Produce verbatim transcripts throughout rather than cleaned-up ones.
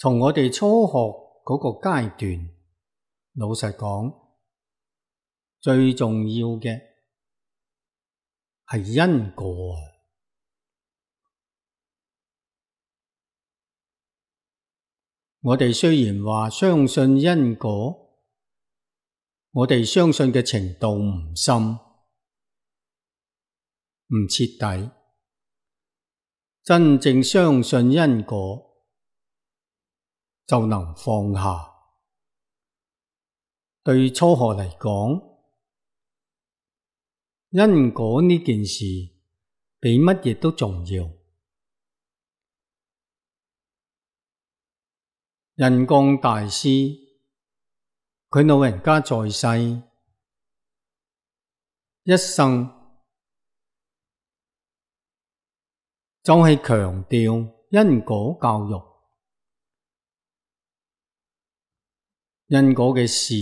從我哋初學嗰個階段，老實講，最重要嘅係因果啊！我哋雖然話相信因果，我哋相信嘅程度唔深，唔徹底。真正相信因果，就能放下。對初學嚟講，因果呢件事比乜嘢都重要。印光大師，佢老人家在世，一生就係強調因果教育，因果嘅事，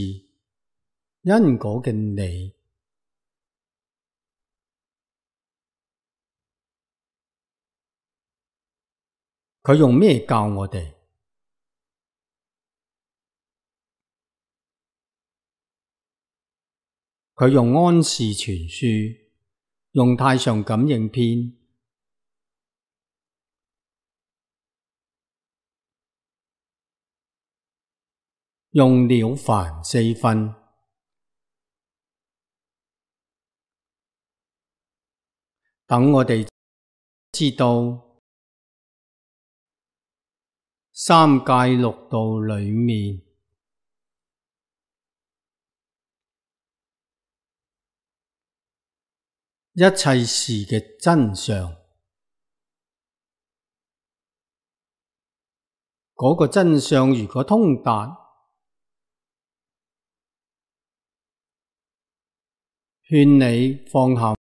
因果嘅理。佢用咩教我哋？佢用安氏全書，用太上感應篇，用了凡四訓，等我哋知道三界六道裏面一切事嘅真相。嗰個真相如果通達，勸你放下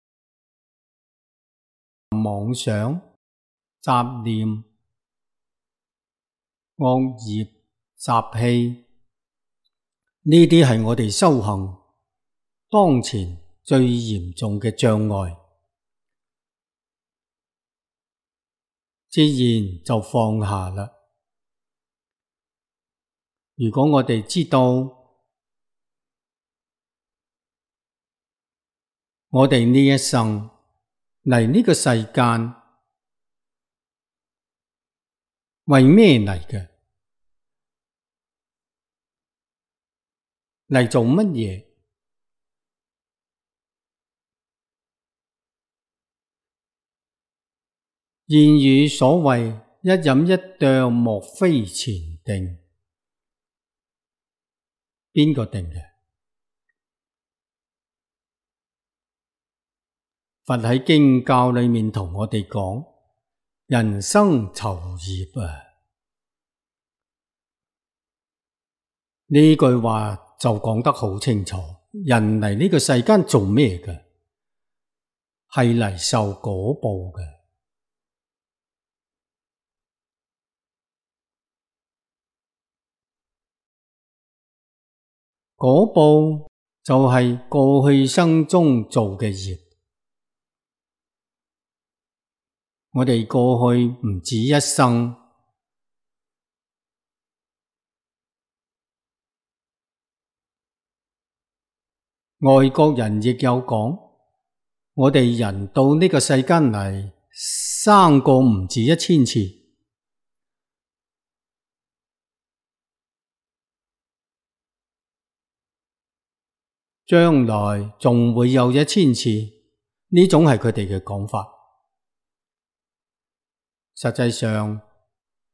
妄想、雜念、惡業、習氣，呢啲係我哋修行當前最嚴重嘅障礙，自然就放下啦。如果我哋知道我哋呢一生嚟呢個世間為咩嚟嘅？嚟做乜嘢？諺語所謂一飲一啄，莫非前定。邊個定嘅？佛喺經教裏面同我哋講，人生酬業啊！呢句話就講得好清楚，人嚟呢個世間做咩嘅？係嚟受果報嘅。果報就係過去生中做嘅業。我哋過去唔止一生，外國人亦有講，我哋人到呢個世間嚟，生過唔止一千次。將來仲會有一千次，呢種係佢哋嘅講法。實際上，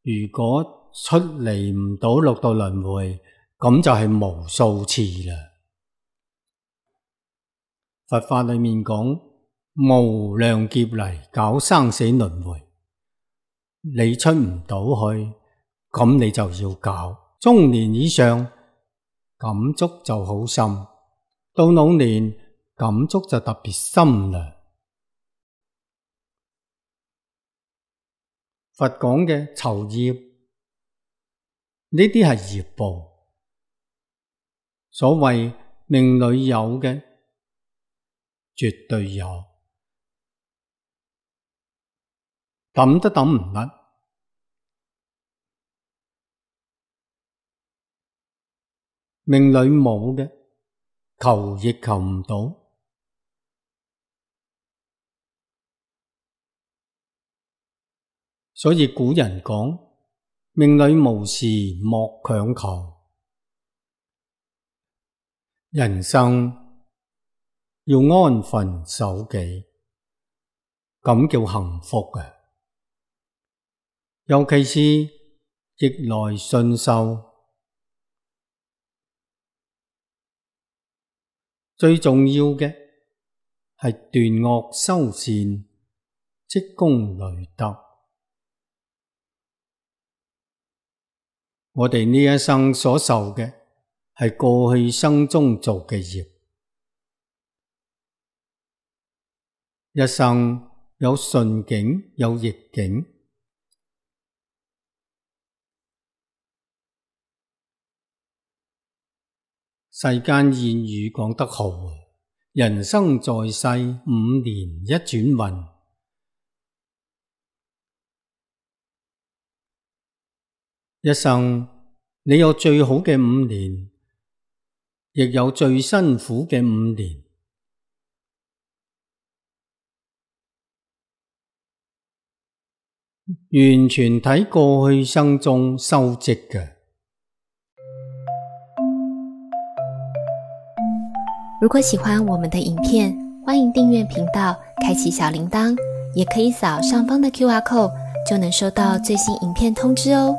如果出離唔到六道輪迴，咁就係無數次啦。佛法裏面講無量劫嚟搞生死輪迴，你出唔到去，咁你就要搞。中年以上感觸就好深，到老年感觸就特別深啦。佛講嘅酬業，呢啲係業報。所謂命裏有嘅，絕對有，抌都抌唔甩。命裏冇嘅，求亦求唔到。所以古人講，命裏無時莫強求。人生要安分守己，咁叫幸福嘅。尤其是逆來順受，最重要嘅係斷惡修善，積功累德。我哋呢一生所受嘅係過去生中做嘅業，一生有順境有逆境。世間諺語講得好，人生在世五年一轉運。一生你有最好嘅五年，亦有最辛苦嘅五年。完全睇過去生中修積嘅。如果喜歡我們的影片，歡迎訂閱頻道，開啟小鈴鐺，也可以掃上方的 Q R code，就能收到最新影片通知哦。